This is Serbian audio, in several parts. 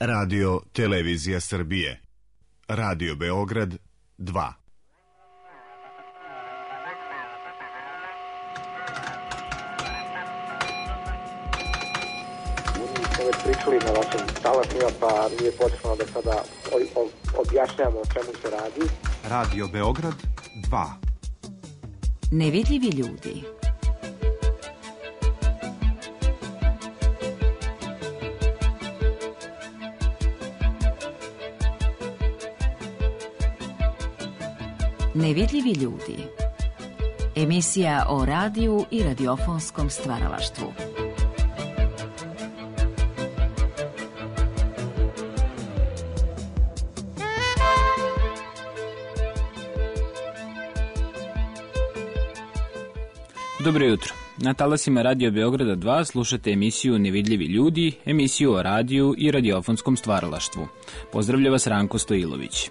Radio Televizija Srbije. Radio Beograd 2. Već pričali na vašim talasima, pa nije potrebno da sada objašnjamo o čemu se radi. Radio Beograd 2. Nevidljivi ljudi. Nevidljivi ljudi. Emisija o radiju i radiofonskom stvaralaštvu. Dobro jutro. Na talasima Radio Beograda 2 slušate emisiju Nevidljivi ljudi, emisiju o radiju i radiofonskom stvaralaštvu. Pozdravlja vas Ranko Stojilović.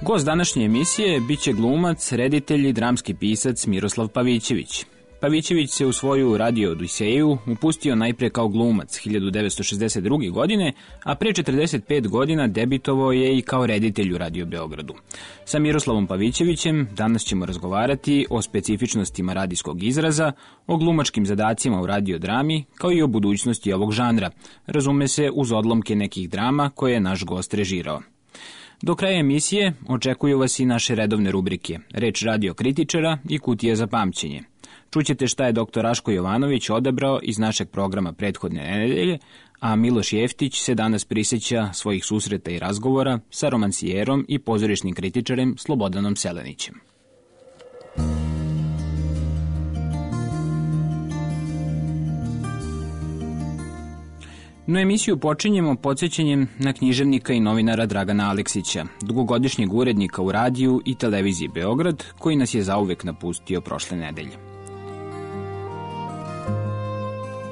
Gost današnje emisije biće glumac, reditelj i dramski pisac Miroslav Pavićević. Pavićević se u svoju radio odiseju upustio najpre kao glumac 1962. godine, a pre 45 godina debitovao je i kao reditelj u Radio Beogradu. Sa Miroslavom Pavićevićem danas ćemo razgovarati o specifičnostima radijskog izraza, o glumačkim zadacima u radiodrami, kao i o budućnosti ovog žanra, razume se uz odlomke nekih drama koje je naš gost režirao. Do kraja emisije očekuju vas i naše redovne rubrike, reč radio kritičara i kutija za pamćenje. Čućete šta je dr. Raško Jovanović odabrao iz našeg programa prethodne nedelje, a Miloš Jeftić se danas prisjeća svojih susreta i razgovora sa romansijerom i pozorišnim kritičarem Slobodanom Selenićem. No emisiju počinjemo podsjećanjem na književnika i novinara Dragana Aleksića, dugogodišnjeg urednika u radiju i televiziji Beograd, koji nas je zauvek napustio prošle nedelje.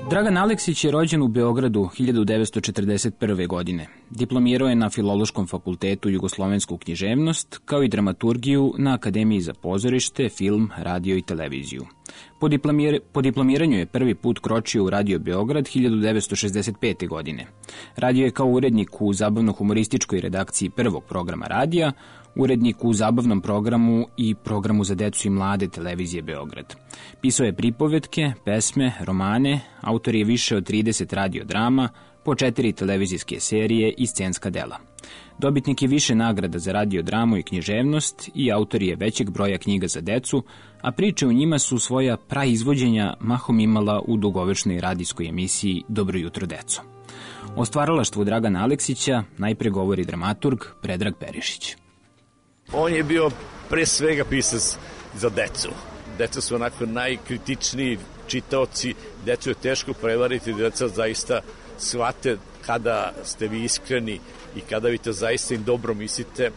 Dragan Aleksić je rođen u Beogradu 1941. godine. Diplomirao je na Filološkom fakultetu jugoslovensku književnost, kao i dramaturgiju na Akademiji za pozorište, film, radio i televiziju. Po diplomiranju je prvi put kročio u Radio Beograd 1965. godine. Radio je kao urednik u zabavno-humorističkoj redakciji prvog programa radija, urednik u zabavnom programu i programu za decu i mlade televizije Beograd. Pisao je pripovetke, pesme, romane, autor je više od 30 radiodrama, po 4 televizijske serije i scenska dela. Dobitnik je više nagrada za radiodramu i književnost i autor je većeg broja knjiga za decu, a priče u njima su svoja praizvođenja mahom imala u dugovečnoj radijskoj emisiji Dobro jutro deco. O stvaralaštvu Dragana Aleksića najpre govori dramaturg Predrag Perišić. On je bio pre svega pisac za decu. Deca su onako najkritičniji čitaoci, decu je teško prevariti, deca zaista shvate kada ste vi iskreni i kada vi to zaista im dobro mislite.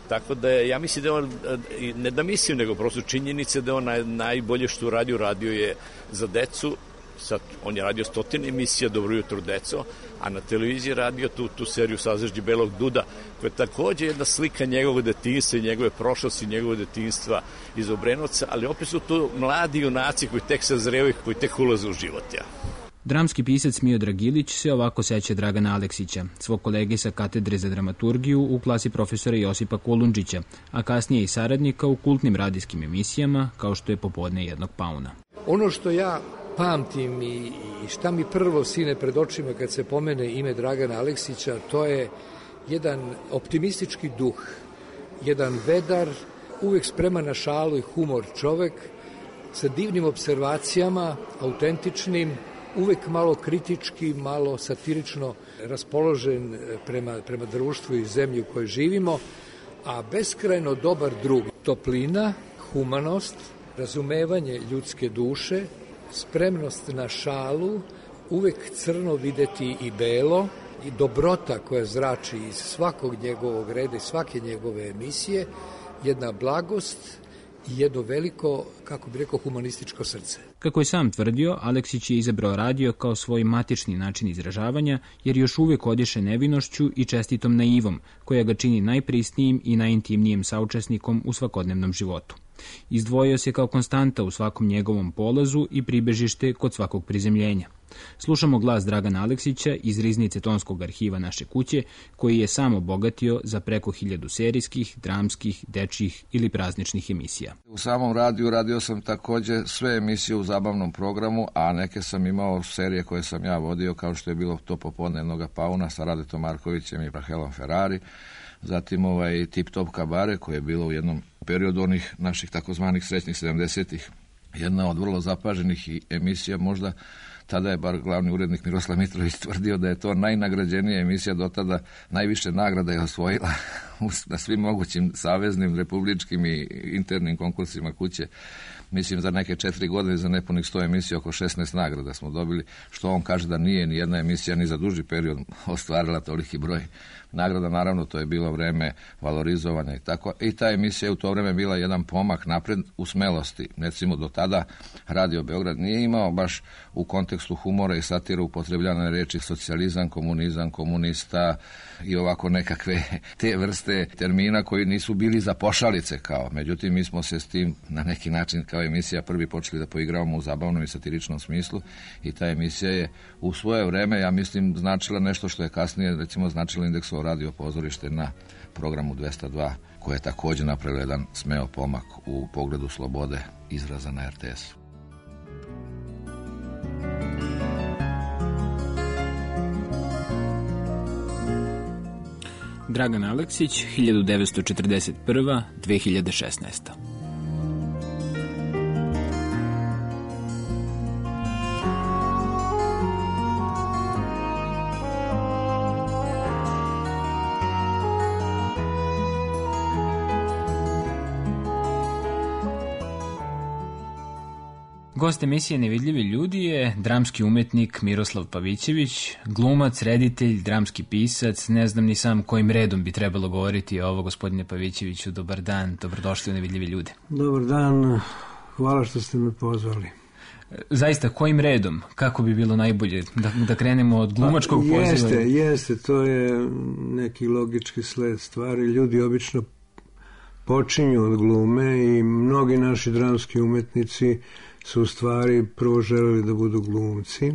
Tako da ja mislim da on, ne da mislim, nego prosto činjenice da on najbolje što radio je za decu. Sad, on je radio 100 emisija Dobro jutro deco, a na televiziji radio tu seriju Sazažđi belog duda, koja je takođe jedna slika njegovog detinjstva i njegove prošlosti, njegovog detinjstva iz Obrenovca, ali opet su tu mladi junaci koji tek sazrevaju, koji tek ulaze u život. Dramski pisac Miodrag Ilić se ovako seća Dragana Aleksića, svog kolege sa katedre za dramaturgiju u klasi profesora Josipa Kolundžića, a kasnije i saradnika u kultnim radijskim emisijama, kao što je Popodne jednog pauna. Ono što ja pamtim i šta mi prvo sine pred očima kad se pomene ime Dragana Aleksića, to je jedan optimistički duh, jedan vedar, uvek spreman na šalu i humor čovek, sa divnim observacijama, autentičnim, uvek malo kritički, malo satirično raspoložen prema društvu i zemlji u kojoj živimo, a beskrajno dobar drug. Toplina, humanost, razumevanje ljudske duše, spremnost na šalu, uvek crno videti i belo, i dobrota koja zrači iz svakog njegovog reda i svake njegove emisije, jedna blagost i jedno veliko, kako bi rekao, humanističko srce. Kako je sam tvrdio, Aleksić je izabrao radio kao svoj matični način izražavanja, jer još uvek odiše nevinošću i čestitom naivom, koja ga čini najprisnijim i najintimnijim saučesnikom u svakodnevnom životu. Izdvojio se kao konstanta u svakom njegovom polazu i pribežište kod svakog prizemljenja. Slušamo glas Dragana Aleksića iz riznice tonskog arhiva Naše kuće, koji je sam obogatio za preko 1000 serijskih, dramskih, dečjih ili prazničnih emisija. U samom radiju radio sam takođe sve emisije u zabavnom programu, a neke sam imao serije koje sam ja vodio, kao što je bilo to Popodnevnoga pauna sa Radetom Markovićem i Rahelom Ferrari, zatim Tip Top Kabare, koje je bilo u jednom periodu onih naših takozvanih srećnih 70-ih. Jedna od vrlo zapaženih emisija, možda tada je bar glavni urednik Miroslav Mitrović tvrdio da je to najnagrađenija emisija do tada, najviše nagrada je osvojila na svim mogućim saveznim, republičkim i internim konkursima kuće. Mislim, za neke 4 godine, za nepunih 100 emisija, oko 16 nagrada smo dobili, što on kaže da nije ni jedna emisija ni za duži period ostvarila toliki broj nagrada. Naravno, to je bilo vreme valorizovanja i tako. I ta emisija je u to vreme bila jedan pomak napred u smelosti. Recimo, do tada Radio Beograd nije imao baš u kontekstu humora i satira upotrebljane reči socijalizam, komunizam, komunista i ovako nekakve te vrste termina koji nisu bili za pošalice kao. Međutim, mi smo se s tim na neki način kao emisija prvi počeli da poigravamo u zabavnom i satiričnom smislu i ta emisija je u svoje vreme, ja mislim, značila nešto što je kasnije, recimo, značilo Indeksovo radio pozorište na programu 202, koje je također napravilo jedan smeo pomak u pogledu slobode izraza na RTS-u. Dragan Aleksić, 1941-2016. Gost emisije Nevidljivi ljudi je dramski umetnik Miroslav Pavićević, glumac, reditelj, dramski pisac. Ne znam ni sam kojim redom bi trebalo govoriti ovo, gospodine Pavićeviću. Dobar dan, dobrodošli u Nevidljivi ljude. Dobar dan, hvala što ste me pozvali. Zaista, kojim redom? Kako bi bilo najbolje? Da krenemo od glumačkog poziva? Jeste, to je neki logički sled stvari. Ljudi obično počinju od glume i mnogi naši dramski umetnici su u stvari prvo želeli da budu glumci.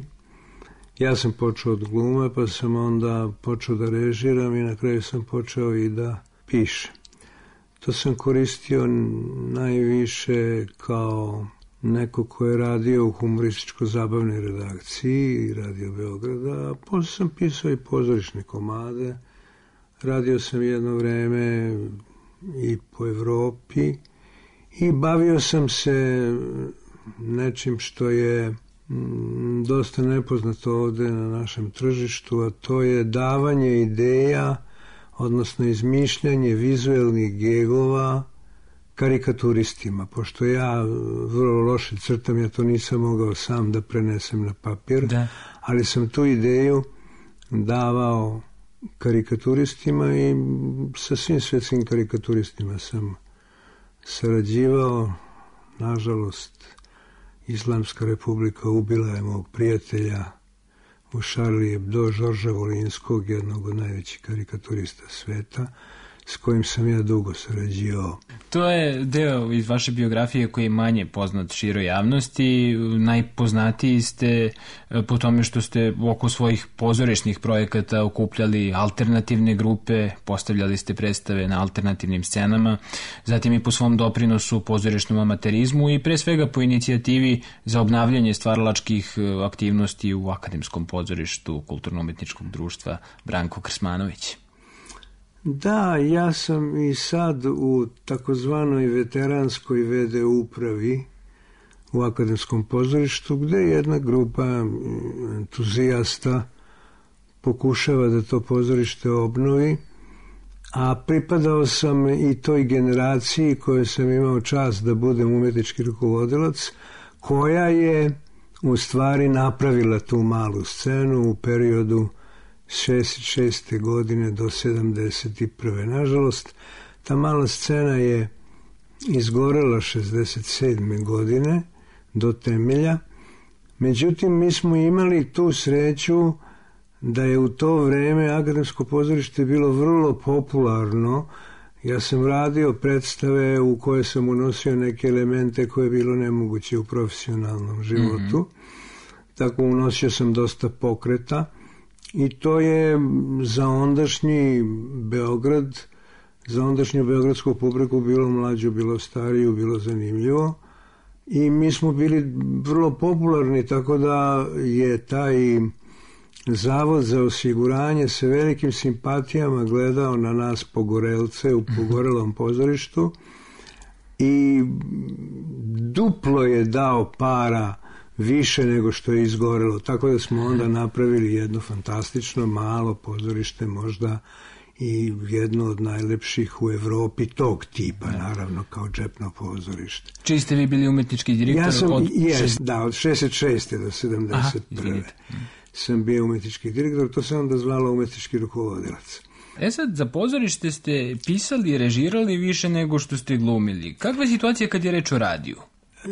Ja sam počeo od glume, pa sam onda počeo da režiram i na kraju sam počeo i da pišem. To sam koristio najviše kao neko ko je radio u humorističko-zabavnoj redakciji Radio Beograda, a posle sam pisao i pozorišne komade. Radio sam jedno vreme i po Evropi i bavio sam se nečim što je dosta nepoznato ovde na našem tržištu, a to je davanje ideja, odnosno izmišljanje vizuelnih gegova karikaturistima. Pošto ja vrlo loše crtam, ja to nisam mogao sam da prenesem na papir, ali sam tu ideju davao karikaturistima i sa svim svetskim karikaturistima sam sarađivao. Nažalost, Islamska republika ubila je mog prijatelja u Charlie Hebdo, Žorža Volinskog, jednog od najvećih karikaturista sveta, s kojim sam ja dugo sarađivao. To je deo iz vaše biografije koji je manje poznat široj javnosti. Najpoznatiji ste po tome što ste oko svojih pozorišnih projekata okupljali alternativne grupe, postavljali ste predstave na alternativnim scenama, zatim i po svom doprinosu pozorišnom amaterizmu i pre svega po inicijativi za obnavljanje stvaralačkih aktivnosti u Akademskom pozorištu Kulturno-umetničkog društva Branko Krsmanović. Da, ja sam i sad u takozvanoj veteranskoj VD upravi u Akademskom pozorištu, gde jedna grupa entuzijasta pokušava da to pozorište obnovi, a pripadao sam i toj generaciji koje sam imao čast da budem umetnički rukovodilac, koja je u stvari napravila tu malu scenu u periodu 66. godine do 71. Nažalost, ta mala scena je izgorela 67. godine do temelja. Međutim, mi smo imali tu sreću da je u to vreme Akademsko pozorište bilo vrlo popularno. Ja sam radio predstave u koje sam unosio neke elemente koje je bilo nemoguće u profesionalnom životu. tako unosio sam dosta pokreta i to je za ondašnji Beograd, za ondašnju beogradsku publiku bilo mlađu, bilo stariju, bilo zanimljivo i mi smo bili vrlo popularni, tako da je taj Zavod za osiguranje sa velikim simpatijama gledao na nas pogorelce u pogorelom pozorištu i duplo je dao para više nego što je izgorelo, tako da smo onda napravili jedno fantastično malo pozorište, možda i jedno od najlepših u Evropi tog tipa, naravno, kao džepno pozorište. Čiji ste vi bili umetnički direktor? Ja sam, od 66. do 71. Sam bio umetnički direktor, to se onda zvalo umetnički rukovodilac. Sad, za pozorište ste pisali i režirali više nego što ste glumili. Kakva je situacija kad je reč o radiju?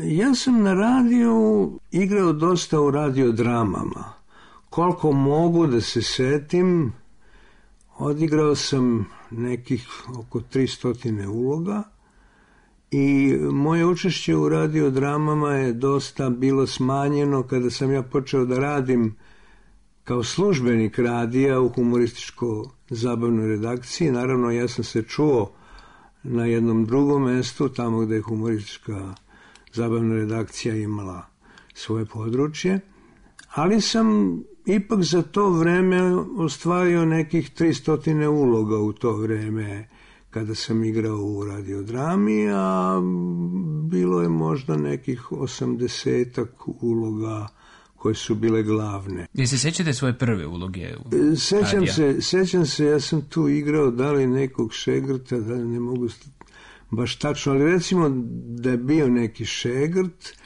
Ja sam na radiju igrao dosta u radiodramama. Koliko mogu da se setim, odigrao sam nekih oko 300 uloga i moje učešće u radiodramama je dosta bilo smanjeno kada sam ja počeo da radim kao službenik radija u humorističko-zabavnoj redakciji. Naravno, ja sam se čuo na jednom drugom mestu, tamo gde je humoristička zabavna redakcija imala svoje područje, ali sam ipak za to vreme ostvario nekih 300 uloga u to vreme kada sam igrao u radiodrami, a bilo je možda nekih 80 uloga koje su bile glavne. Jel se sećate svoje prve uloge u Sećam se, ja sam tu igrao da li nekog šegrta, da li ne mogu baš tačno, ali recimo da je bio neki šegrt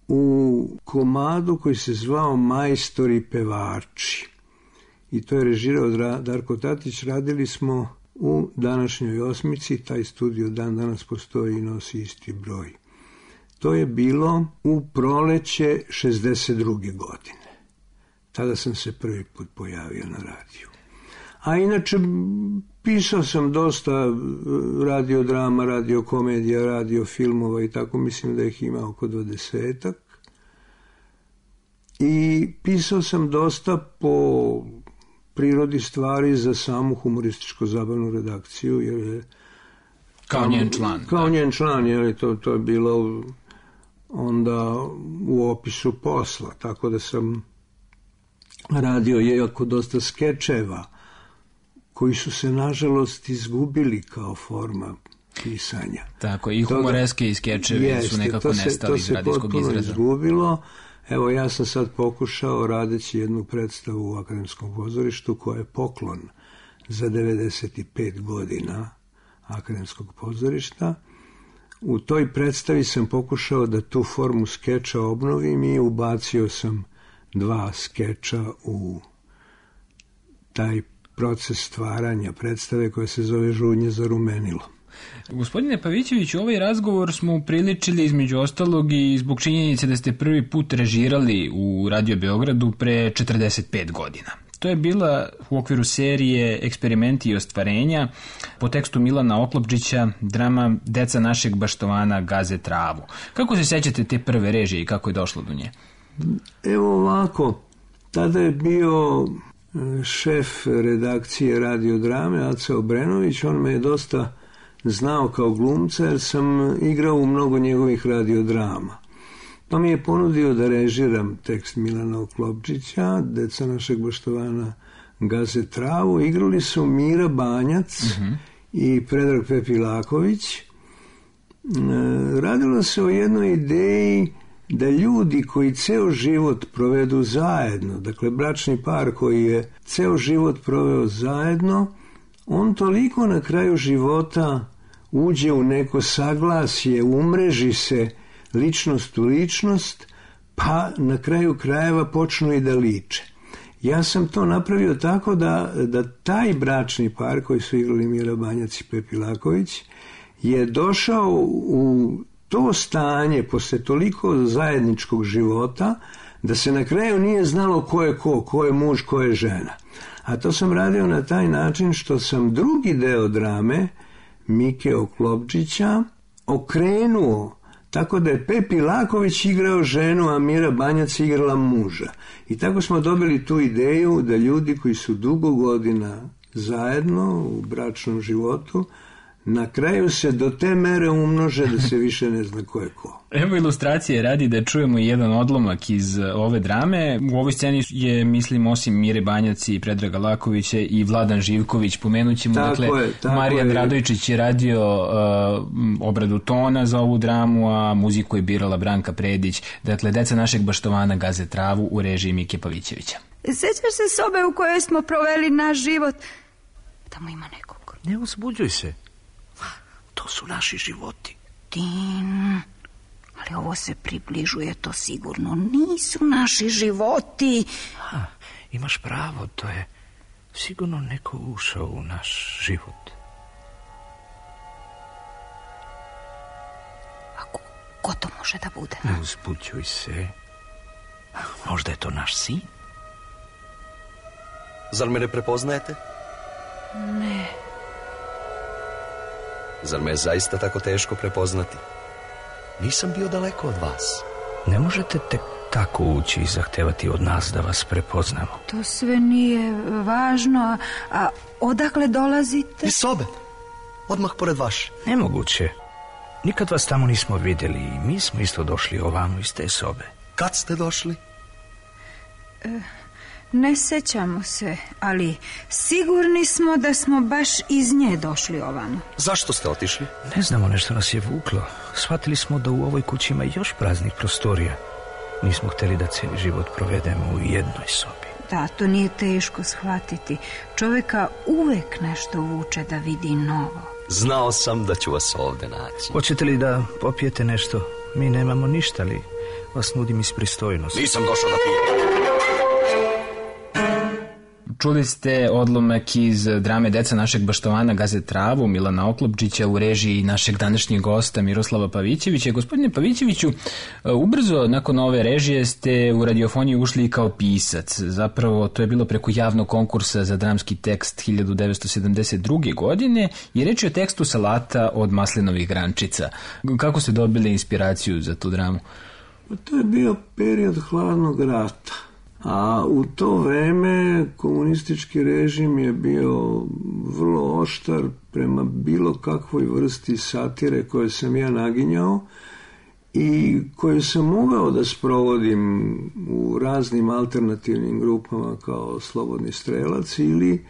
u komadu koji se zvao Majstori pevači. I to je režirao Darko Tatić. Radili smo u današnjoj Osmici, taj studio dan danas postoji i nosi isti broj. To je bilo u proleće 62. godine. Tada sam se prvi put pojavio na radiju. A inače, pisao sam dosta radiodrama, radiokomedija, radiofilmova i tako, mislim da ih ima oko 20-ak. I pisao sam dosta po prirodi stvari za samu humorističko-zabavnu redakciju, jer je kao njen član. Kao njen član, jer to je bilo onda u opisu posla, tako da sam radio jako dosta skečeva koji su se nažalost izgubili kao forma pisanja. Tako, i humoreske i skečevi su nekako nestali iz radijskog izraza. To se potpuno izgubilo. Evo, ja sam sad pokušao, radeći jednu predstavu u Akademskom pozorištu koja je poklon za 95 godina Akademskog pozorišta. U toj predstavi sam pokušao da tu formu skeča obnovim i ubacio sam 2 skeča u taj proces stvaranja predstave koja se zove Žudnje za rumenilo. Gospodine Pavićević, ovaj razgovor smo upriličili između ostalog i zbog činjenice da ste prvi put režirali u Radio Beogradu pre 45 godina. To je bila u okviru serije Eksperimenti i ostvarenja po tekstu Milana Oklopčića, drama Deca našeg baštovana gaze travu. Kako se sećate te prve režije i kako je došlo do nje? Evo ovako, tada je bio šef redakcije radiodrame Aca Obrenović, on me je dosta znao kao glumca jer sam igrao u mnogo njegovih radiodrama. Pa mi je ponudio da režiram tekst Milana Oklopčića, Deca našeg baštovana gaze travu. Igrali su Mira Banjac i Predrag Pepilaković. Radilo se o jednoj ideji da ljudi koji ceo život provedu zajedno, dakle bračni par koji je ceo život proveo zajedno, on toliko na kraju života uđe u neko saglasje, umreži se ličnost u ličnost, pa na kraju krajeva počnu i da liče. Ja sam to napravio tako da taj bračni par koji su igrali Mira Banjac i Pepilaković je došao u to stanje posle toliko zajedničkog života da se na kraju nije znalo ko je muž, ko je žena. A to sam radio na taj način što sam drugi deo drame Mike Oklopčića okrenuo Tako da je Pepi Laković igrao ženu, a Mira Banjac igrala muža. I tako smo dobili tu ideju da ljudi koji su dugo godina zajedno u bračnom životu, na kraju se do te mere umnože da se više ne zna ko je ko. Evo ilustracije radi da čujemo jedan odlomak iz ove drame. U ovoj sceni je, mislim, osim Mire Banjac i Predraga Lakovića i Vladan Živković. Pomenut ćemo, Marijan Radojčić je radio obradu tona za ovu dramu, a muziku je birala Branka Predić. Dakle, Deca našeg baštovana gaze travu u režiji Mike Pavićevića. Sećaš se sobe u kojoj smo proveli naš život? Tamo ima nekog. Ne uzbuđuj se. To su naši životi. Tin, ali ovo se približuje, to sigurno nisu naši životi. Imaš pravo, to je sigurno neko ušao u naš život. A ko to može da bude? Ne uzbuđuj se. Možda je to naš sin? Zar me ne prepoznajete? Ne. Zar me je zaista tako teško prepoznati? Nisam bio daleko od vas. Ne možete tek tako ući i zahtevati od nas da vas prepoznamo. To sve nije važno, a odakle dolazite? Iz sobe, odmah pored vaše. Nemoguće. Nikad vas tamo nismo vidjeli i mi smo isto došli ovamo iz te sobe. Kad ste došli? Ne sećamo se, ali sigurni smo da smo baš iz nje došli ovamo. Zašto ste otišli? Ne znamo, nešto nas je vuklo. Shvatili smo da u ovoj kući ima još praznih prostorija. Nismo htjeli da cijeli život provedemo u jednoj sobi. Da, to nije teško shvatiti. Čovjeka uvek nešto vuče da vidi novo. Znao sam da ću vas ovdje naći. Hoćete li da popijete nešto? Mi nemamo ništa, ali vas nudim iz pristojnosti. Nisam došao da pijem. Čuli ste odlomak iz drame Deca našeg baštovana gaze travu Milana Oklopčića u režiji našeg današnjeg gosta Miroslava Pavićevića. Gospodine Pavićeviću, ubrzo nakon ove režije ste u radiofoniju ušli i kao pisac. Zapravo to je bilo preko javnog konkursa za dramski tekst 1972. godine i reč je o tekstu Salata od maslinovih grančica. Kako ste dobili inspiraciju za tu dramu? To je bio period hladnog rata. A u to vreme komunistički režim je bio vrlo oštar prema bilo kakvoj vrsti satire koje sam ja naginjao i koju sam mogao da sprovodim u raznim alternativnim grupama kao Slobodni strelac ili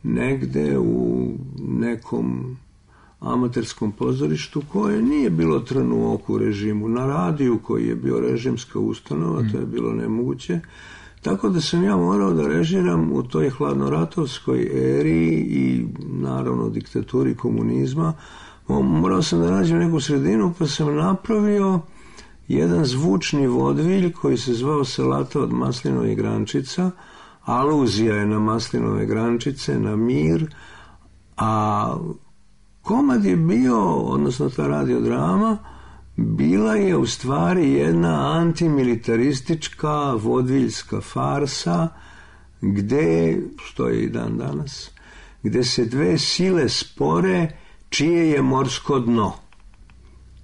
negde u nekom amaterskom pozorištu koje nije bilo trn u oku režimu. Na radiju koji je bio režimska ustanova, to je bilo nemoguće. Tako da sam ja morao da režiram u toj hladnoratovskoj eri i naravno diktaturi komunizma. Morao sam da nađem neku sredinu, pa sam napravio jedan zvučni vodvilj koji se zvao Salata od maslinovih grančica. Aluzija je na maslinove grančice, na mir, a komad je bio, odnosno ta radiodrama, bila je u stvari jedna antimilitaristička vodviljska farsa gde, što je i dan danas, gde se dve sile spore čije je morsko dno.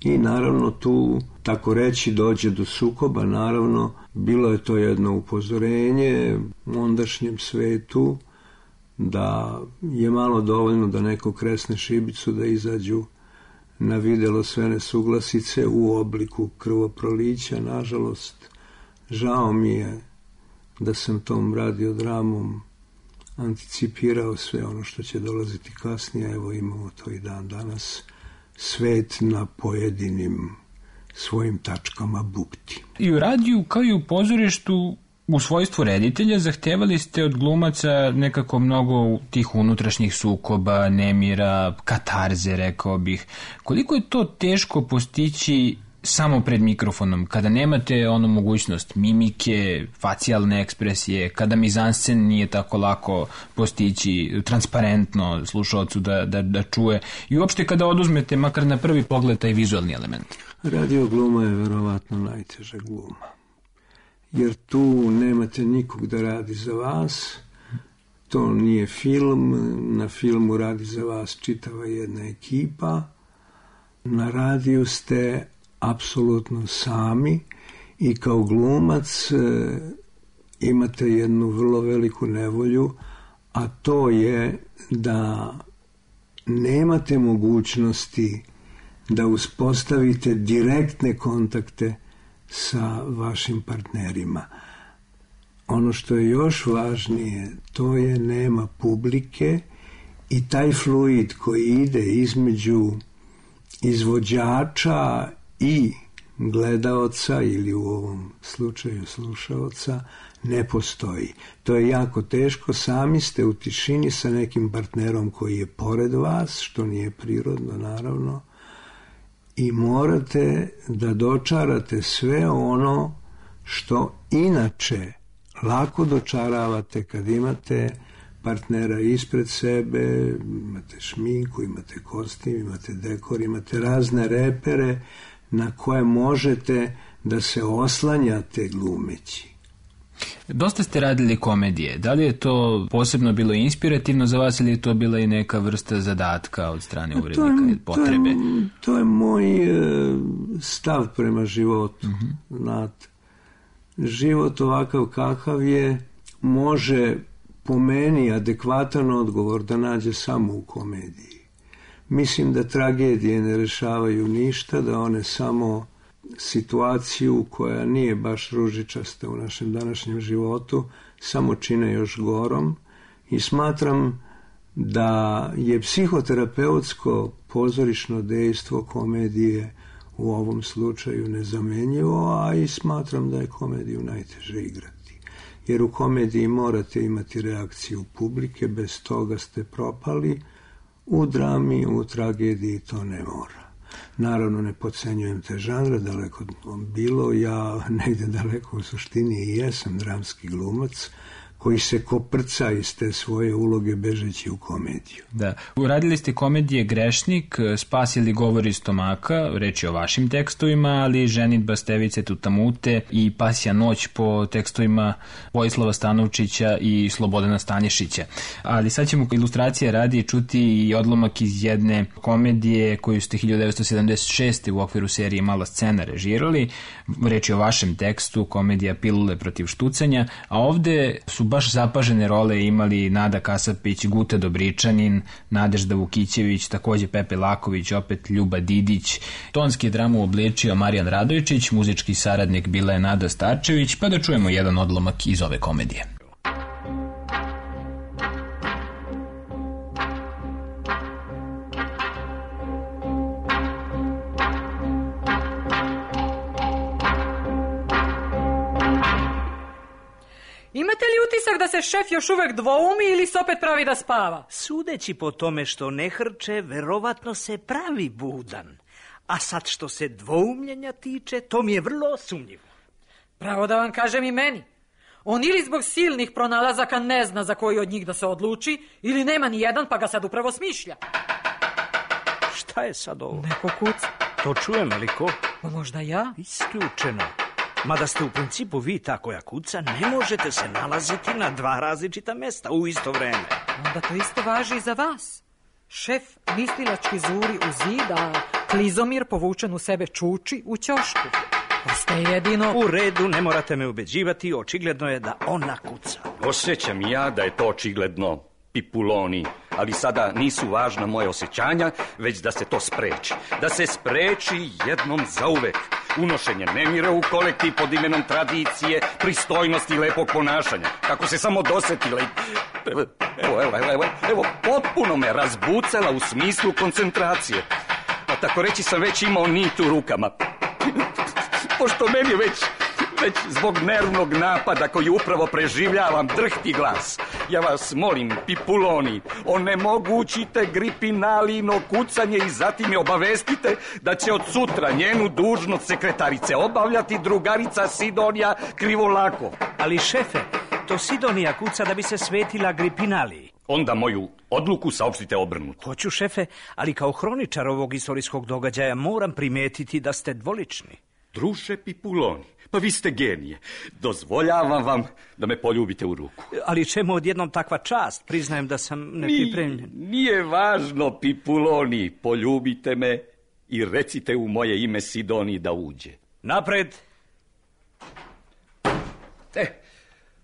I naravno tu, tako reći, dođe do sukoba. Naravno, bilo je to jedno upozorenje ondašnjem svetu da je malo dovoljno da neko kresne šibicu da izađu na videlo sve nesuglasice u obliku krvoprolića. Nažalost, žao mi je da sam tom radiodramom anticipirao sve ono što će dolaziti kasnije. Evo, imamo to i dan danas. Svet na pojedinim svojim tačkama bukti. I u radiju kao i u pozorištu u svojstvu reditelja zahtevali ste od glumaca nekako mnogo tih unutrašnjih sukoba, nemira, katarze, rekao bih. Koliko je to teško postići samo pred mikrofonom, kada nemate onu mogućnost mimike, facijalne ekspresije, kada mizanscen nije tako lako postići transparentno slušaocu da čuje i uopšte kada oduzmete makar na prvi pogled taj vizualni element? Radio gluma je verovatno najteža gluma. Jer tu nemate nikog da radi za vas, to nije film, na filmu radi za vas čitava jedna ekipa, na radiju ste apsolutno sami i kao glumac imate jednu vrlo veliku nevolju, a to je da nemate mogućnosti da uspostavite direktne kontakte sa vašim partnerima. Ono što je još važnije, to je nema publike i taj fluid koji ide između izvođača i gledaoca ili u ovom slučaju slušaoca ne postoji. To je jako teško, sami ste u tišini sa nekim partnerom koji je pored vas, što nije prirodno naravno, i morate da dočarate sve ono što inače lako dočaravate kad imate partnera ispred sebe, imate šminku, imate kostim, imate dekor, imate razne repere na koje možete da se oslanjate glumeći. Dosta ste radili komedije. Da li je to posebno bilo inspirativno za vas ili je to bila i neka vrsta zadatka od strane urednika i potrebe? To je moj stav prema životu. Znate, život ovakav kakav je može po meni adekvatan odgovor da nađe samo u komediji. Mislim da tragedije ne rešavaju ništa, da one samo situaciju koja nije baš ružičasta u našem današnjem životu samo čine još gorom i smatram da je psihoterapeutsko pozorišno dejstvo komedije u ovom slučaju nezamenjivo, a i smatram da je komediju najteže igrati. Jer u komediji morate imati reakciju publike, bez toga ste propali, u drami, u tragediji to ne mora. Naravno, ne podcenjujem te žanre, daleko bilo, ja negde daleko u suštini i jesam dramski glumac koji se koprca iz te svoje uloge bežeći u komediju. Da. Uradili ste komedije Grešnik, Spas ili Govori stomaka, reč je o vašim tekstovima, ali Ženidba Stevice Tutamute i Pasja noć po tekstovima Vojislava Stanovčića i Slobodana Stanješića. Ali sad ćemo ilustracije radi čuti i odlomak iz jedne komedije koju ste 1976. u okviru serije Mala scena režirali. Reč je o vašem tekstu, komedija Pilule protiv štucanja, a ovde su baš zapažene role imali Nada Kasapić, Guta Dobričanin, Nadežda Vukićević, takođe Pepe Laković, opet Ljuba Didić. Tonski je dramu obličio Marijan Radojčić, muzički saradnik bila je Nada Starčević, pa da čujemo jedan odlomak iz ove komedije. Imate li utisak da se šef još uvek dvoumi ili se opet pravi da spava? Sudeći po tome što ne hrče, verovatno se pravi budan. A sad što se dvoumljenja tiče, to mi je vrlo sumnjivo. Pravo da vam kažem i meni. On ili zbog silnih pronalazaka ne zna za koji od njih da se odluči, ili nema ni jedan pa ga sad upravo smišlja. Šta je sad ovo? Neko kuca. To čujem, ali ko? Možda ja? Isključeno. Mada ste u principu vi ta koja kuca, ne možete se nalaziti na dva različita mesta u isto vreme. Onda to isto važi i za vas. Šef mislilački zuri u zid, a Klizomir povučen u sebe čuči u ćošku. Ostaje jedino... U redu, ne morate me ubeđivati, očigledno je da ona kuca. Osjećam ja da je to očigledno, Pipuloni, ali sada nisu važna moje osjećanja, već da se to spreči. Da se spreči jednom zauvek. Unošenje nemira u kolektiv pod imenom tradicije, pristojnosti i lepog ponašanja. Kako se samo dosetila i... Evo, potpuno me razbucala u smislu koncentracije. Pa tako reći sam već imao nit u rukama. Pošto meni već zbog nervnog napada koji upravo preživljavam drhti glas. Ja vas molim, Pipuloni, onemogućite Gripinalino kucanje i zatim je obavestite da će od sutra njenu dužnost sekretarice obavljati drugarica Sidonija Krivolakov. Ali šefe, to Sidonija kuca da bi se svetila Gripinaliji. Onda moju odluku saopštite obrnuto. Hoću, šefe, ali kao hroničar ovog istorijskog događaja moram primetiti da ste dvolični. Druže Pipuloni, pa vi ste genije. Dozvoljavam vam da me poljubite u ruku. Ali čemu odjednom takva čast? Priznajem da sam nepripremljen. Nije važno, Pipuloni, poljubite me i recite u moje ime Sidoniji da uđe. Napred!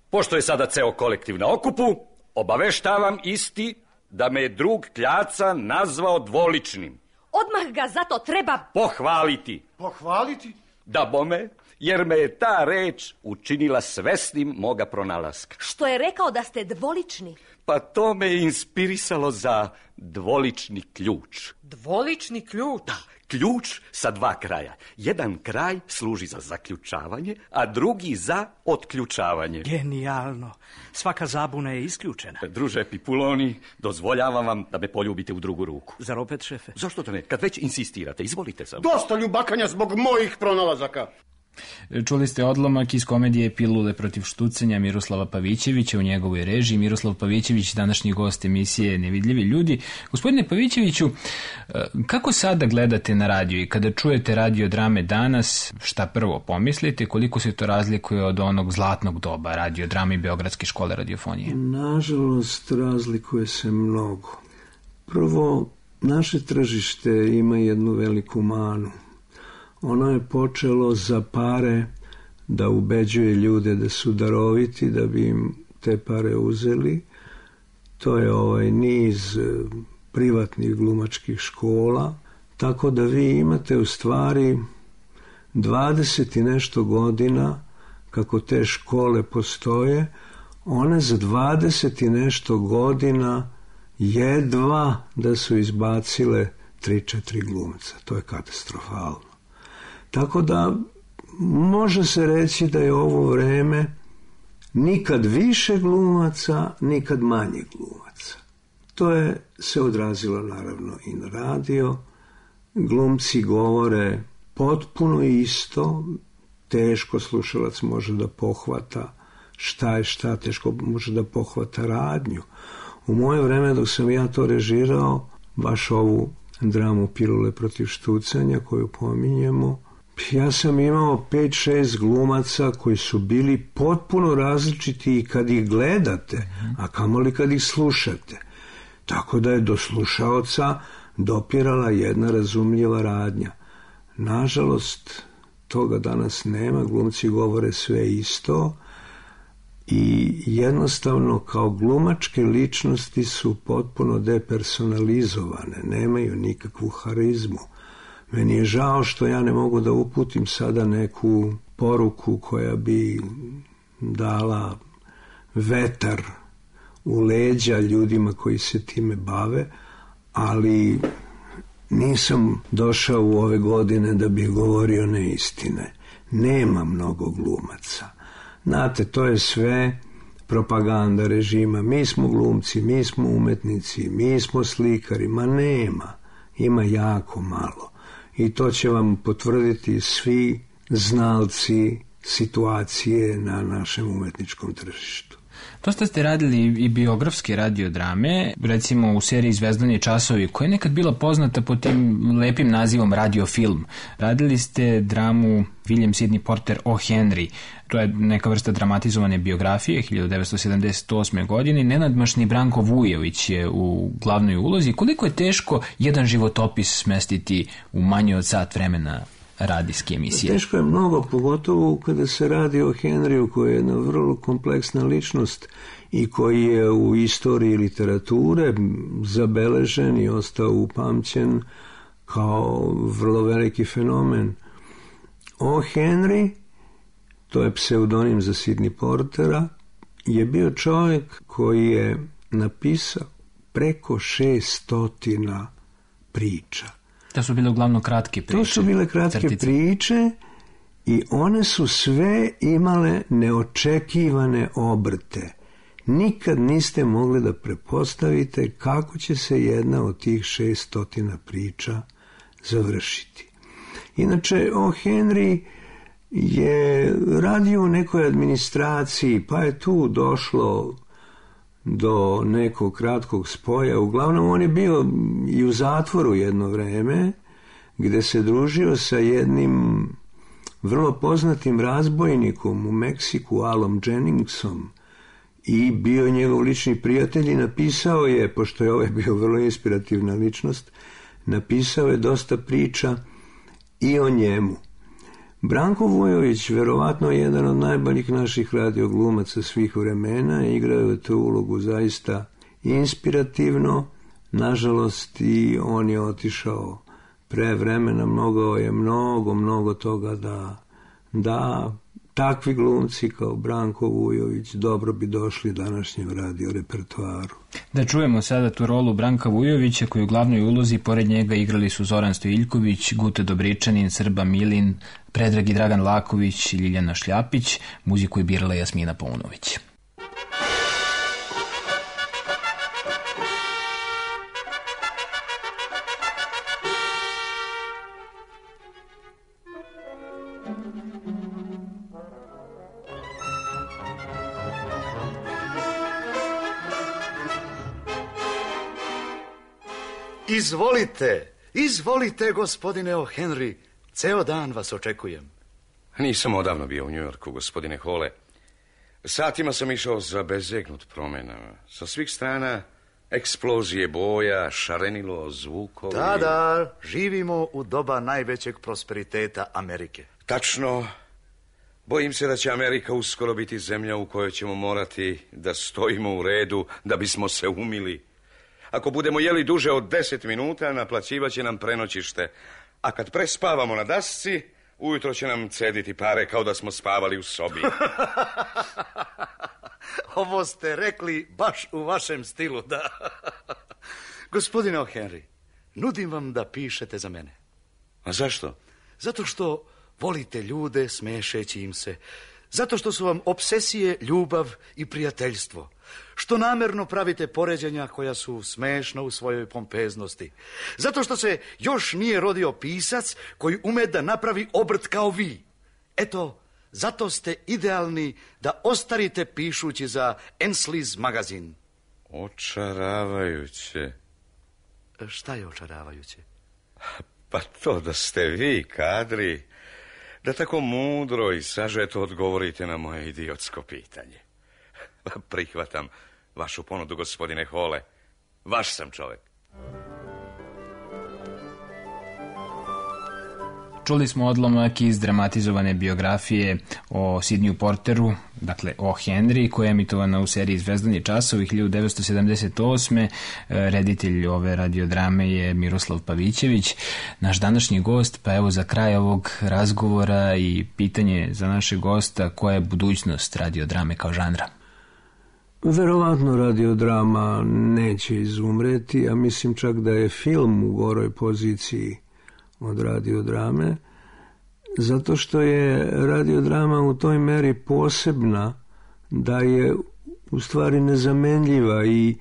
Pošto je sada ceo kolektiv na okupu, obaveštavam isti da me je drug Kljaca nazvao dvoličnim. Odmah ga zato treba pohvaliti. Pohvaliti? Da bome, jer me je ta reč učinila svesnim moga pronalaska. Što je rekao da ste dvolični? Pa to me je inspirisalo za dvolični ključ. Dvolični ključ? Da, ključ sa dva kraja. Jedan kraj služi za zaključavanje, a drugi za otključavanje. Genijalno. Svaka zabuna je isključena. Druže Pipuloni, dozvoljavam vam da me poljubite u drugu ruku. Zar opet, šefe? Zašto to ne? Kad već insistirate, izvolite samo. Dosta ljubakanja zbog mojih pronalazaka. Čuli ste odlomak iz komedije Pilule protiv štucanja Miroslava Pavićevića u njegovoj režiji. Miroslav Pavićević, današnji gost emisije Nevidljivi ljudi. Gospodine Pavićeviću, kako sada gledate na radio i kada čujete radio drame danas, šta prvo pomislite, koliko se to razlikuje od onog zlatnog doba radio drame i Beogradske škole radiofonije? Nažalost, razlikuje se mnogo. Prvo, naše tržište ima jednu veliku manu. Ono je počelo za pare da ubeđuje ljude da su daroviti, da bi im te pare uzeli. To je niz privatnih glumačkih škola, tako da vi imate u stvari 20 i nešto godina kako te škole postoje. One za 20 i nešto godina jedva da su izbacile 3-4 glumca. To je katastrofalno. Tako da može se reći da je ovo vreme nikad više glumaca, nikad manje glumaca. To je se odrazilo naravno i na radio. Glumci govore potpuno isto, teško slušalac može da pohvata šta je šta, teško može da pohvata radnju. U moje vreme dok sam ja to režirao, baš ovu dramu Pilule protiv štucanja koju pominjemo, ja sam imao 5-6 glumaca koji su bili potpuno različiti i kad ih gledate, a kamoli kad ih slušate. Tako da je do slušaoca dopirala jedna razumljiva radnja. Nažalost, toga danas nema, glumci govore sve isto i jednostavno kao glumačke ličnosti su potpuno depersonalizovane, nemaju nikakvu harizmu. Meni je žao što ja ne mogu da uputim sada neku poruku koja bi dala vetar u leđa ljudima koji se time bave, ali nisam došao u ove godine da bih govorio neistine. Nema mnogo glumaca. Znate, to je sve propaganda režima. Mi smo glumci, mi smo umetnici, mi smo slikari. Ma nema. Ima jako malo. I to će vam potvrditi svi znalci situacije na našem umetničkom tržištu. Dosta ste radili i biografske radiodrame, recimo u seriji Zvezdani časovi, koja je nekad bila poznata pod tim lepim nazivom radiofilm. Radili ste dramu William Sidney Porter o Henry. To je neka vrsta dramatizovane biografije 1978. godine. Nenadmašni Branko Vujović je u glavnoj ulozi. Koliko je teško jedan životopis smestiti u manje od sat vremena radijske emisije? Teško je mnogo, pogotovo kada se radi o Henryu, koji je jedna vrlo kompleksna ličnost i koji je u istoriji literature zabeležen i ostao upamćen kao vrlo veliki fenomen. O Henry, to je pseudonim za Sidney Portera, je bio čovjek koji je napisao preko 600 priča. To su bile uglavnom kratke priče. To su bile kratke priče i one su sve imale neočekivane obrte. Nikad niste mogli da prepostavite kako će se jedna od tih 600 priča završiti. Inače, o Henry je radio u nekoj administraciji, pa je tu došlo do nekog kratkog spoja. Uglavnom, on je bio i u zatvoru jedno vreme, gde se družio sa jednim vrlo poznatim razbojnikom u Meksiku, Alom Jenningsom, i bio njegov lični prijatelj i napisao je, pošto je ovaj bio vrlo inspirativna ličnost, napisao je dosta priča i o njemu. Branko Vujović, verovatno jedan od najboljih naših radioglumaca svih vremena, igrao je tu ulogu zaista inspirativno. Nažalost, i on je otišao pre vremena, mogao je mnogo toga da takvi glumci kao Branko Vujović dobro bi došli današnjem radio repertoaru. Da čujemo sada tu rolu Branka Vujovića, koju u glavnoj ulozi pored njega igrali su Zoran Stojiljković, Guta Dobričanin, Srba Milin, Predrag i Dragan Laković i Ljiljana Šljapić. Muziku je birala Jasmina Paunović. Izvolite, gospodine O'Henry. Ceo dan vas očekujem. Nisam odavno bio u Njujorku, gospodine Hole. Satima sam išao zabezegnut promenama. Sa svih strana eksplozije boja, šarenilo, zvukovi. Da, živimo u doba najvećeg prosperiteta Amerike. Tačno. Bojim se da će Amerika uskoro biti zemlja u kojoj ćemo morati da stojimo u redu da bismo se umili. Ako budemo jeli duže od 10 minuta, naplaćivaće nam prenoćište. A kad prespavamo na dasci, ujutro će nam cediti pare kao da smo spavali u sobi. Ovo ste rekli baš u vašem stilu, da. Gospodine O'Henry, nudim vam da pišete za mene. A zašto? Zato što volite ljude smešeći im se. Zato što su vam obsesije ljubav i prijateljstvo. Što namerno pravite poređenja koja su smešna u svojoj pompeznosti. Zato što se još nije rodio pisac koji ume da napravi obrt kao vi. Eto, zato ste idealni da ostarite pišući za Ensley's magazin. Očaravajuće. Šta je očaravajuće? Pa to da ste vi kadri, da tako mudro i sažeto odgovorite na moje idiotsko pitanje. Prihvatam vašu ponudu, gospodine Hole. Vaš sam čovek. Čuli smo odlomak iz dramatizovane biografije o Sidneyu Porteru, dakle o Henry, koja je emitovana u seriji Zvezdani časovi 1978. Reditelj ove radiodrame je Miroslav Pavićević, naš današnji gost. Pa evo, za kraj ovog razgovora i pitanje za našeg gosta: koja je budućnost radiodrame kao žanra? Verovatno radiodrama neće izumreti, a mislim čak da je film u goroj poziciji od radiodrame, zato što je radiodrama u toj meri posebna da je u stvari nezamenljiva i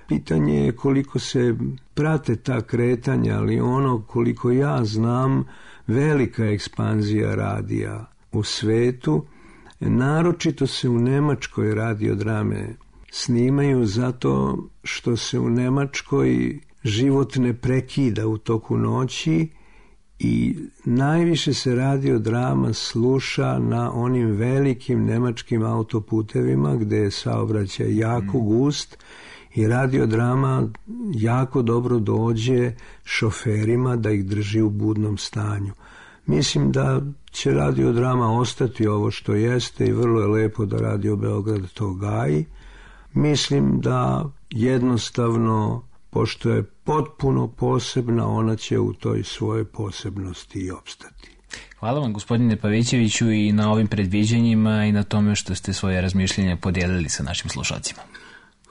pitanje je koliko se prate ta kretanja, ali ono koliko ja znam, velika ekspanzija radija u svetu, naročito se u Nemačkoj radiodrame snimaju zato što se u Nemačkoj život ne prekida u toku noći i najviše se radiodrama sluša na onim velikim nemačkim autoputevima gde je saobraćaj jako gust i radiodrama jako dobro dođe šoferima da ih drži u budnom stanju. Mislim da će radiodrama ostati ovo što jeste i vrlo je lepo da Radio Beograd to gaji. Mislim da jednostavno, pošto je potpuno posebna, ona će u toj svojoj posebnosti i opstati. Hvala vam, gospodine Pavićeviću, i na ovim predviđanjima i na tome što ste svoje razmišljenja podijelili sa našim slušalcima.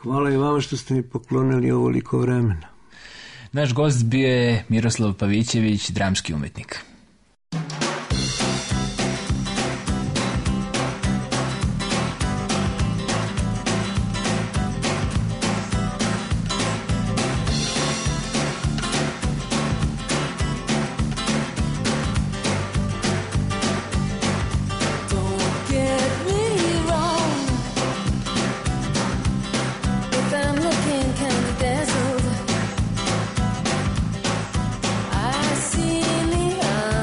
Hvala i vama što ste mi poklonili ovoliko vremena. Naš gost bio je Miroslav Pavićević, dramski umetnik. I see neon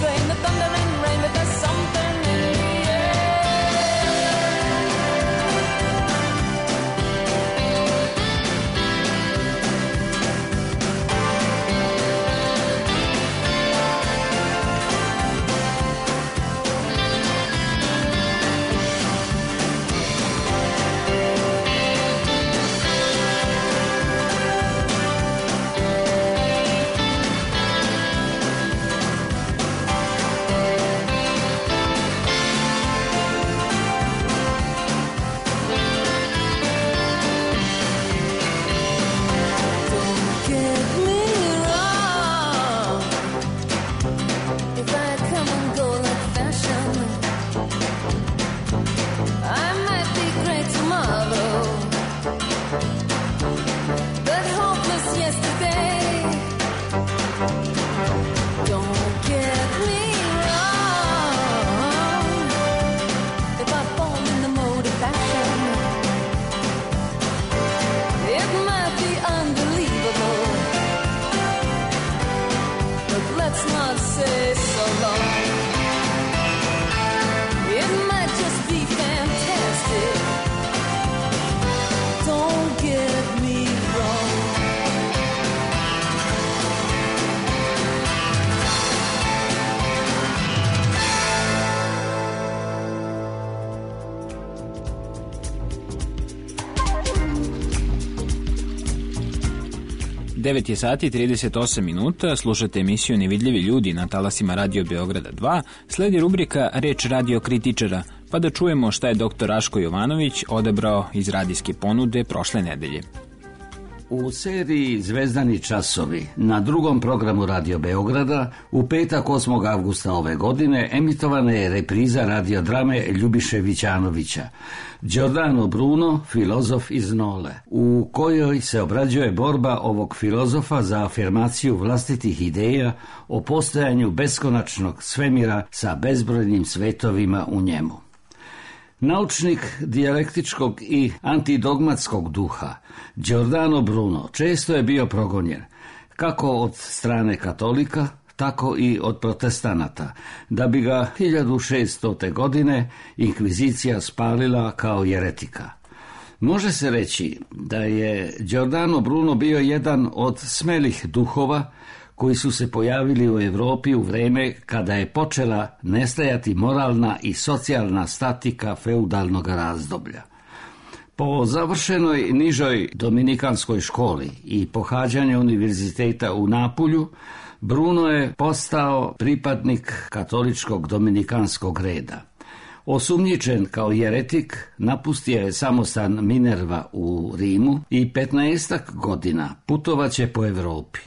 blame the thunder and rain, but there's something in the air. Devet je sati 38 minuta, slušate emisiju Nevidljivi ljudi na talasima Radio Beograda 2, sledi rubrika Reč radio kritičara, pa da čujemo šta je dr. Raško Jovanović odabrao iz radijske ponude prošle nedelje. U seriji Zvezdani časovi na drugom programu Radio Beograda u petak 8. avgusta ove godine emitovana je repriza radiodrame Ljubiše Vićanovića Giordano Bruno, filozof iz Nole, u kojoj se obrađuje borba ovog filozofa za afirmaciju vlastitih ideja o postojanju beskonačnog svemira sa bezbrojnim svetovima u njemu. Naučnik dijalektičkog i antidogmatskog duha, Giordano Bruno često je bio progonjen, kako od strane katolika, tako i od protestanata, da bi ga 1600. godine inkvizicija spalila kao jeretika. Može se reći da je Giordano Bruno bio jedan od smelih duhova koji su se pojavili u Europi u vreme kada je počela nestajati moralna i socijalna statika feudalnog razdoblja. Po završenoj nižoj dominikanskoj školi i pohađanju univerziteta u Napulju, Bruno je postao pripadnik katoličkog dominikanskog reda. Osumnjičen kao jeretik, napustio je samostan Minerva u Rimu i 15 godina putovaće po Europi.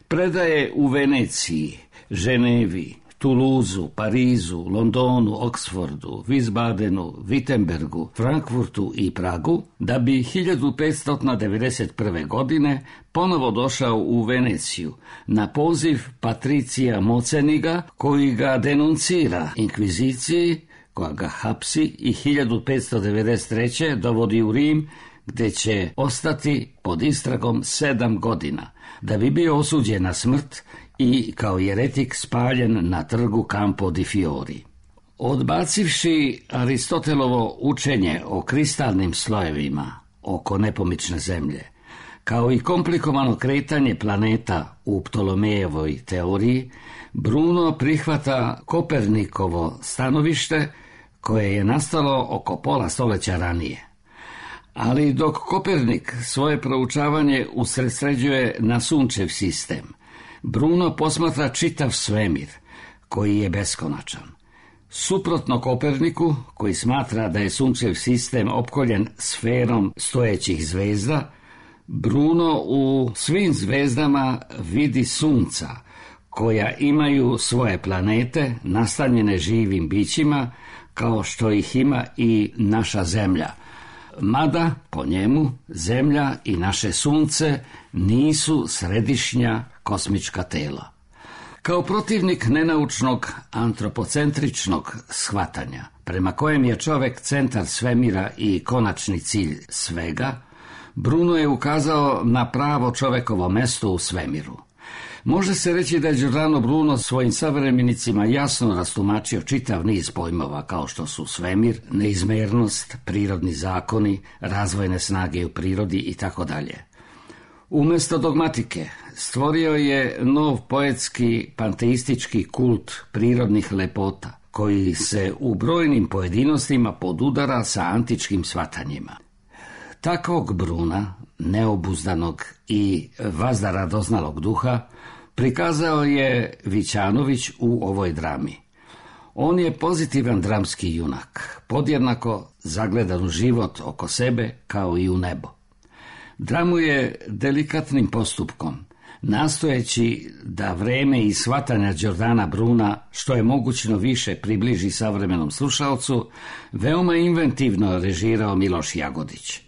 Predaje u Veneciji, Ženevi, Tuluzu, Parizu, Londonu, Oksfordu, Wiesbadenu, Wittenbergu, Frankfurtu i Pragu, da bi 1591. godine ponovo došao u Veneciju na poziv Patricija Moceniga, koji ga denuncira inkviziciji, koja ga hapsi i 1593. dovodi u Rim, gde će ostati pod istragom 7 godina, da bi bio osuđen na smrt i kao jeretik spaljen na trgu Campo di Fiori. Odbacivši Aristotelovo učenje o kristalnim slojevima oko nepomične zemlje, kao i komplikovano kretanje planeta u Ptolomejevoj teoriji, Bruno prihvata Kopernikovo stanovište koje je nastalo oko pola stoljeća ranije. Ali dok Kopernik svoje proučavanje usredsređuje na sunčev sistem, Bruno posmatra čitav svemir, koji je beskonačan. Suprotno Koperniku, koji smatra da je sunčev sistem opkoljen sferom stojećih zvezda, Bruno u svim zvezdama vidi sunca, koja imaju svoje planete nastanjene živim bićima, kao što ih ima i naša zemlja. Mada, po njemu, zemlja i naše sunce nisu središnja kosmička tela. Kao protivnik nenaučnog antropocentričnog shvatanja, prema kojem je čovek centar svemira i konačni cilj svega, Bruno je ukazao na pravo čovekovo mesto u svemiru. Može se reći da je Giordano Bruno svojim savremenicima jasno rastumačio čitav niz pojmova kao što su svemir, neizmernost, prirodni zakoni, razvojne snage u prirodi itd. Umjesto dogmatike stvorio je nov poetski panteistički kult prirodnih lepota koji se u brojnim pojedinostima podudara sa antičkim shvatanjima. Takvog Bruna, neobuzdanog i vazdaradoznalog duha, prikazao je Vićanović u ovoj drami. On je pozitivan dramski junak, podjednako zagledan u život oko sebe kao i u nebo. Dramu je delikatnim postupkom, nastojeći da vreme i shvatanja Giordana Bruna što je mogućno više približi savremenom slušalcu, veoma inventivno režirao Miloš Jagodić.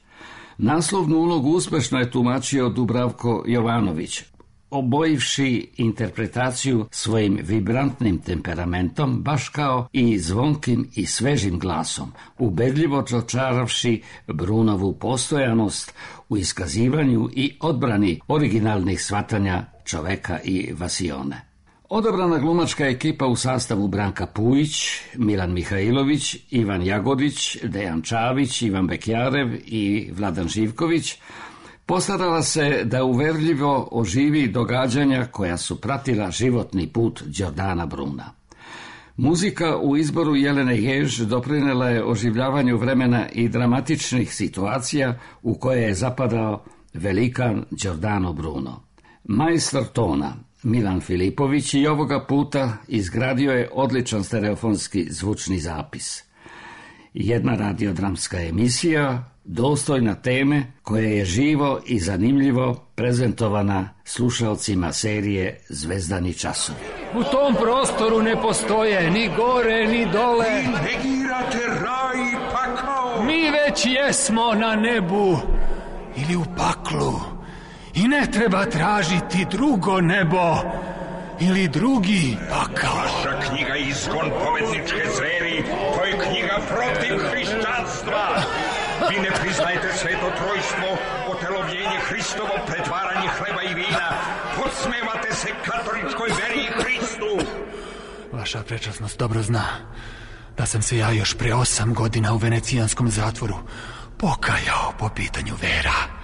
Naslovnu ulogu uspešno je tumačio Dubravko Jovanović, obojivši interpretaciju svojim vibrantnim temperamentom, baš kao i zvonkim i svežim glasom, ubedljivo dočaravši Brunovu postojanost u iskazivanju i odbrani originalnih shvatanja čoveka i vasione. Odabrana glumačka ekipa u sastavu Branka Pujić, Milan Mihajlović, Ivan Jagodić, Dejan Čavić, Ivan Bekjarev i Vladan Živković postarala se da uverljivo oživi događanja koja su pratila životni put Giordana Bruna. Muzika u izboru Jelene Jež doprinela je oživljavanju vremena i dramatičnih situacija u koje je zapadao velikan Giordano Bruno. Majstor tona Milan Filipović i ovoga puta izgradio je odličan stereofonski zvučni zapis. Jedna radiodramska emisija dostojna teme koje je živo i zanimljivo prezentovana slušalcima serije Zvezdani časovi. U tom prostoru ne postoje ni gore ni dole. Vi negirate raj i pakao. Mi već jesmo na nebu ili u paklu i ne treba tražiti drugo nebo ili drugi pakao. Vaša knjiga Izgon pobedničke zveri, to je knjiga protiv hrišćanstva. Vi ne priznajete sveto trojstvo, otelovljenje Hristovo, pretvaranje hleba i vina. Podsmevate se katoličkoj veri i Hristu. Vaša prečasnost dobro zna da sam se ja još pre 8 godina u venecijanskom zatvoru pokajao po pitanju vera.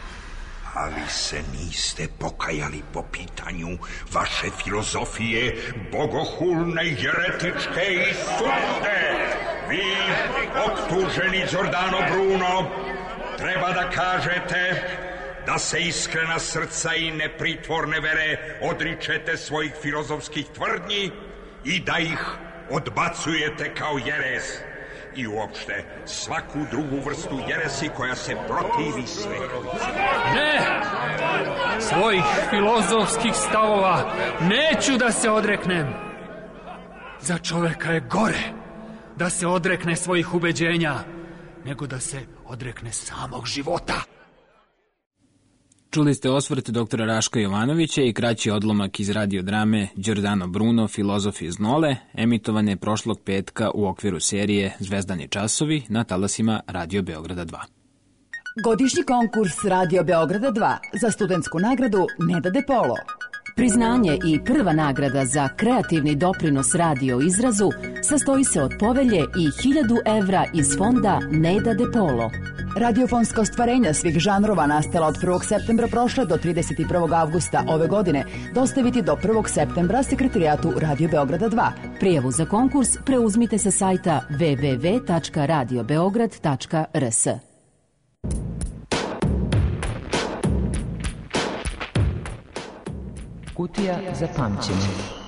A vi se niste pokajali po pitanju vaše filozofije, bogohulne, jeretičke i sulude. Vi, optuženi Giordano Bruno, treba da kažete da se iskrena srca i nepritvorne vere odričete svojih filozofskih tvrdnji i da ih odbacujete kao jeres i uopšte svaku drugu vrstu jeresi koja se protivi svetu. Ne! Svojih filozofskih stavova neću da se odreknem. Za čoveka je gore da se odrekne svojih ubeđenja nego da se odrekne samog života. Čuli ste osvrt doktora Raška Jovanovića i kraći odlomak iz radiodrame Giordano Bruno, filozof iz Nole, emitovane prošlog petka u okviru serije Zvezdani časovi na talasima Radio Beograda 2. Godišnji konkurs Radio Beograda 2 za studentsku nagradu Neda De Polo. Priznanje i prva nagrada za kreativni doprinos radio izrazu sastoji se od povelje i 1000 evra iz fonda Neda De Polo. Radiofonska ostvarenja svih žanrova nastala od 1. septembra prošle do 31. avgusta ove godine dostaviti do 1. septembra sekretarijatu Radio Beograda 2. Prijavu za konkurs preuzmite sa sajta www.radiobeograd.rs. Kutija za pamćenje.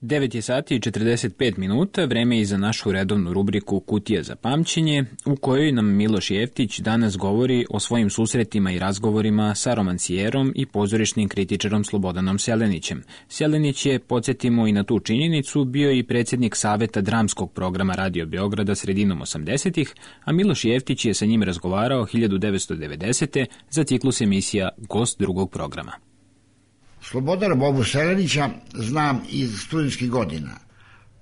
Devet je sati i 45 minuta, vreme je i za našu redovnu rubriku Kutija za pamćenje, u kojoj nam Miloš Jeftić danas govori o svojim susretima i razgovorima sa romancijerom i pozorišnim kritičarom Slobodanom Selenićem. Selenić je, podsjetimo i na tu činjenicu, bio i predsjednik saveta dramskog programa Radio Beograda sredinom 80-ih, a Miloš Jeftić je sa njim razgovarao 1990. za ciklus emisija Gost drugog programa. Slobodana Bobu Selenića znam iz studentskih godina.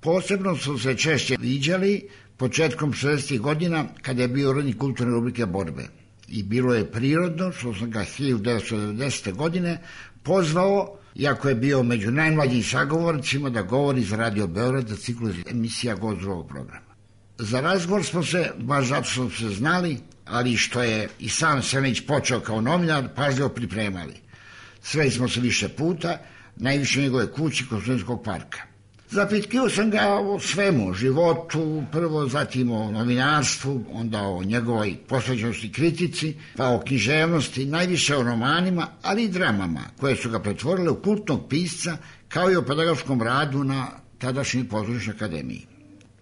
Posebno su se češće viđali početkom 60. godina kada je bio urednik kulturne rubrike Borbe. i bilo je prirodno što sam ga 1990. godine pozvao, iako je bio među najmlađim sagovornicima, da govori za Radio Beograd za ciklus emisija Gost drugog programa. Za razgovor smo se, baš zato smo se znali, ali što je i sam Selenić počeo kao novinar, pažljivo pripremali. Sreli smo se više puta, najviše u njegove kući kod Studenskog parka. Zapitkio sam ga o svemu, životu, prvo, zatim o novinarstvu, onda o njegovoj posvećenosti kritici, pa o književnosti, najviše o romanima, ali i dramama, koje su ga pretvorile u kultnog pisca, kao i o pedagoškom radu na tadašnjoj pozorišnoj akademiji.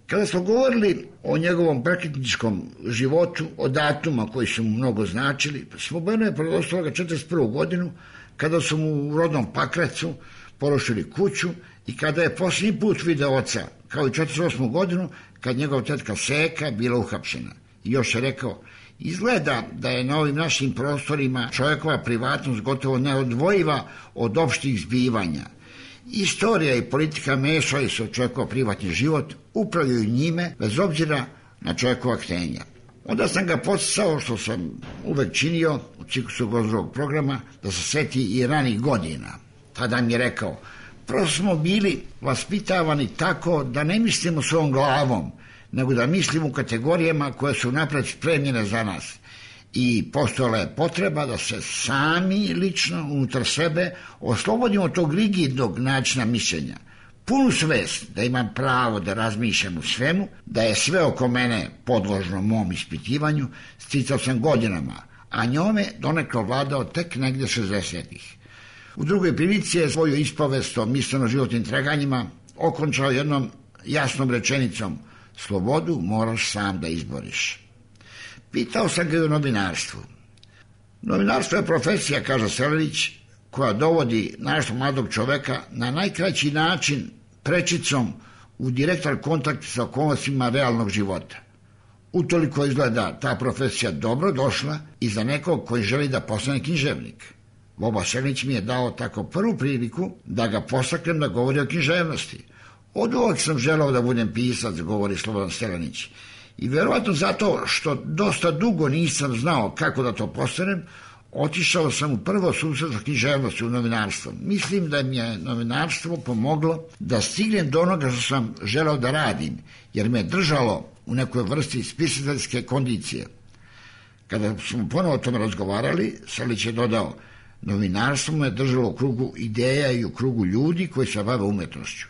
Kada smo govorili o njegovom prekretničkom životu, o datuma koji su mu mnogo značili, Slobodano je predostalo ga 1941. godinu, kada su mu u rodnom Pakracu porušili kuću i kada je posljednji put video oca, kao i 1948. godinu, kad njegov tetka Seka bila uhapšena. I još je rekao, izgleda da je na ovim našim prostorima čovjekova privatnost gotovo neodvojiva od opštih zbivanja. Istorija i politika mešaju se u čovjekov privatni život, upravljaju njime, bez obzira na čovjekova htenja. Onda sam ga podsticao, što sam uvek činio u ciklusu Gost drugog programa, da se seti i ranih godina. Tada mi je rekao, prvo smo bili vaspitavani tako da ne mislimo svojom glavom, nego da mislimo u kategorijama koje su napred spremljene za nas. I postojala je potreba da se sami lično unutar sebe oslobodimo od tog rigidnog načina mišljenja. Punu svest da imam pravo da razmišljam u svemu, da je sve oko mene podložno mom ispitivanju, sticao sam godinama, a njome donekle vladao tek negde 60-ih. U drugoj prilici je svoju ispovest o misleno-životnim traganjima okončao jednom jasnom rečenicom: slobodu moraš sam da izboriš. Pitao sam ga i o novinarstvu. Novinarstvo je profesija, kaže Selenić, koja dovodi našeg mladog čoveka na najkraći način prečicom u direktan kontakt sa okolnostima realnog života. Utoliko izgleda ta profesija dobro došla i za nekog koji želi da postane književnik. Boba Selenić mi je dao tako prvu priliku da ga postaknem da govori o književnosti. Od uvek sam želao da budem pisac, govori Slobodan Selenić. I verovatno zato što dosta dugo nisam znao kako da to postanem, otišao sam u prvo susret sa književnosti u novinarstvo. Mislim da mi je novinarstvo pomoglo da stignem do onoga što sam želao da radim, jer me držalo u nekoj vrsti spisateljske kondicije. Kada smo ponovo o tome razgovarali, Selenić je dodao, novinarstvo me držalo u krugu ideja i u krugu ljudi koji se bave umetnošću.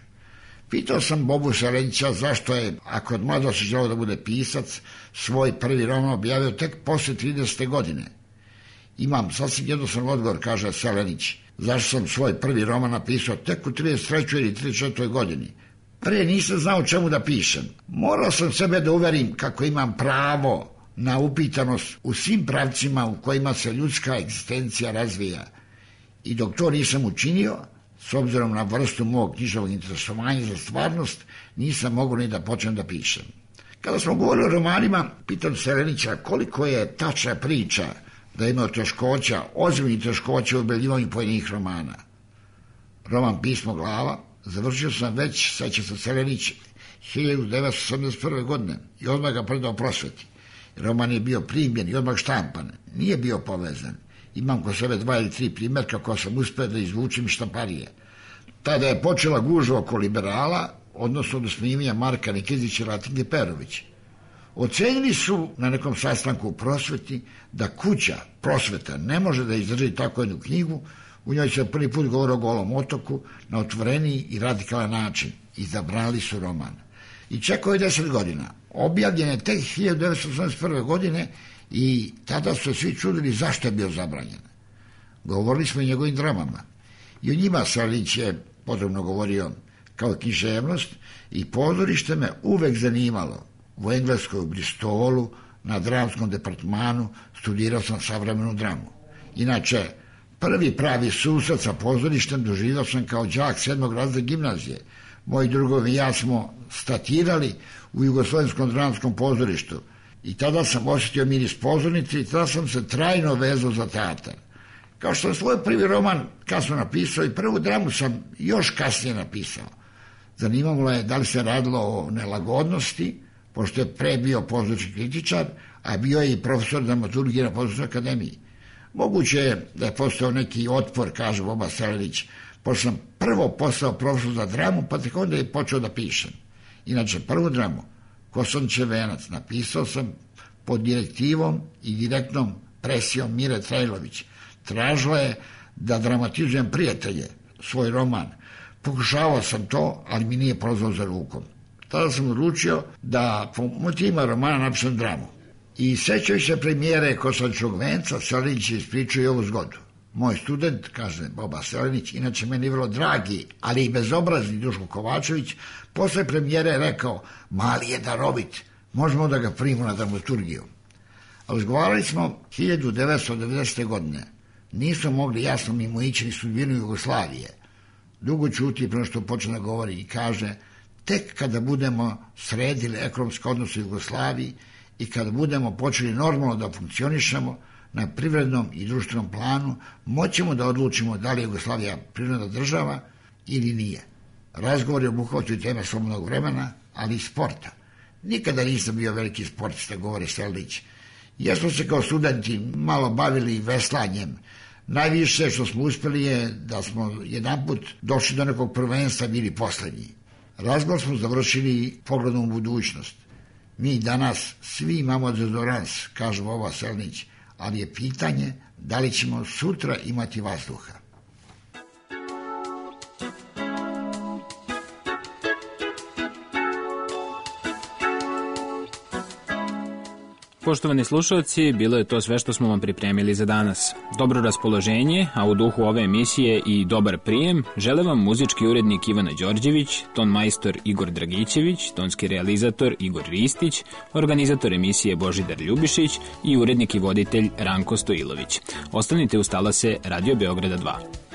Pitao sam Bobu Selenića zašto je, ako od mladosti želeo da bude pisac, svoj prvi roman objavio tek posle 30. godine. Imam sasvim jednostavan odgovor, kaže Selenić, zašto sam svoj prvi roman napisao tek u 33. ili 34. godini. Pre nisam znao čemu da pišem. Morao sam sebe da uverim kako imam pravo na upitanost u svim pravcima u kojima se ljudska egzistencija razvija. I dok to nisam učinio, s obzirom na vrstu mog književnog interesovanja za stvarnost, nisam mogao ni da počnem da pišem. Kada smo govorili o romanima, pitam Selenića koliko je tačna priča da je imao teškoća, ozbiljnih teškoća u objavljivanju pojedinih romana. Roman Pismo glava završio sam već, seća se Selenić, 1981. godine i odmah ga predao prosveti. Roman je bio primljen i odmah štampan, nije bio povezan. Imam kod sebe 2 ili 3 primjerka koja sam uspio da izvučim iz štamparije. Tada je počela gužva oko liberala, odnosno do snimanja Marka Nikezića i Latinke Perović. Ocenili su na nekom sastanku u prosveti da kuća prosveta ne može da izdrži tako jednu knjigu, u njoj se prvi put govori o Golom otoku na otvoreniji i radikalan način. Izabrali su roman. I čekao je 10 godina. Objavljen je tek 1981. godine i tada su svi čudili zašto je bio zabranjen. Govorili smo o njegovim dramama. I o njima Selenić je podrobno govorio kao književnost i pozorište me uvek zanimalo. U Engleskoj, u Bristolu, na dramskom departmanu studirao sam savremenu dramu. Inače, prvi pravi susret sa pozorištem doživio sam kao đak 7. razreda gimnazije. Moji drugovi i ja smo statirali u Jugoslovenskom dramskom pozorištu i tada sam osjetio miris pozornice i tada sam se trajno vezao za teatar. Kao što sam svoj prvi roman kasno napisao i prvu dramu sam još kasnije napisao. Zanimalo je da li se radilo o nelagodnosti, pošto je pre bio pozorišni kritičar, a bio je i profesor dramaturgije na Pozorišnoj akademiji. Moguće je da je postao neki otpor, kaže Boba Selenić, pošto sam prvo postao profesor za dramu, pa tek onda je počeo da pišem. Inače, prvu dramu, Kosančev venac, napisao sam pod direktivom i direktnom presijom Mire Trajlović. Tražila je da dramatizujem Prijatelje, svoj roman. Pokušavao sam to, ali mi nije prolazao za rukom. Tada sam odlučio da po motivima romana napišem dramu. I sećaju se premijere Kosančevog venca, Selenić je ispričao i ovu zgodu. Moj student, kaže Boba Selenić, inače meni vrlo dragi, ali i bezobrazni Duško Kovačević, posle premijere je rekao, mali je darovit, možemo da ga primimo na dramaturgiju. Razgovarali smo 1990. godine. Nismo mogli jasno mimo ići ni sudbinu Jugoslavije. Dugo ćuti prema što počne da govori i kaže, tek kada budemo sredili ekonomske odnose u Jugoslaviji i kada budemo počeli normalno da funkcionišemo na privrednom i društvenom planu, moćemo da odlučimo da li je Jugoslavija privredna država ili nije. Razgovor je obuhvatio teme slobodnog vremena, ali i sporta. Nikada nisam bio veliki sportista, govori Selenić. Jesmo se kao studenti malo bavili veslanjem. Najviše što smo uspeli je da smo jedanput došli do nekog prvenstva, bili poslednji. Razgovor smo završili pogledom u budućnost. Mi danas svi imamo dezodorans, kaže Boba Selenić, ali je pitanje da li ćemo sutra imati vazduha. Poštovani slušalci, bilo je to sve što smo vam pripremili za danas. Dobro raspoloženje, a u duhu ove emisije i dobar prijem, žele vam muzički urednik Ivana Đorđević, ton majstor Igor Dragićević, tonski realizator Igor Ristić, organizator emisije Božidar Ljubišić i urednik i voditelj Ranko Stojilović. Ostanite uz talase Radio Beograda 2.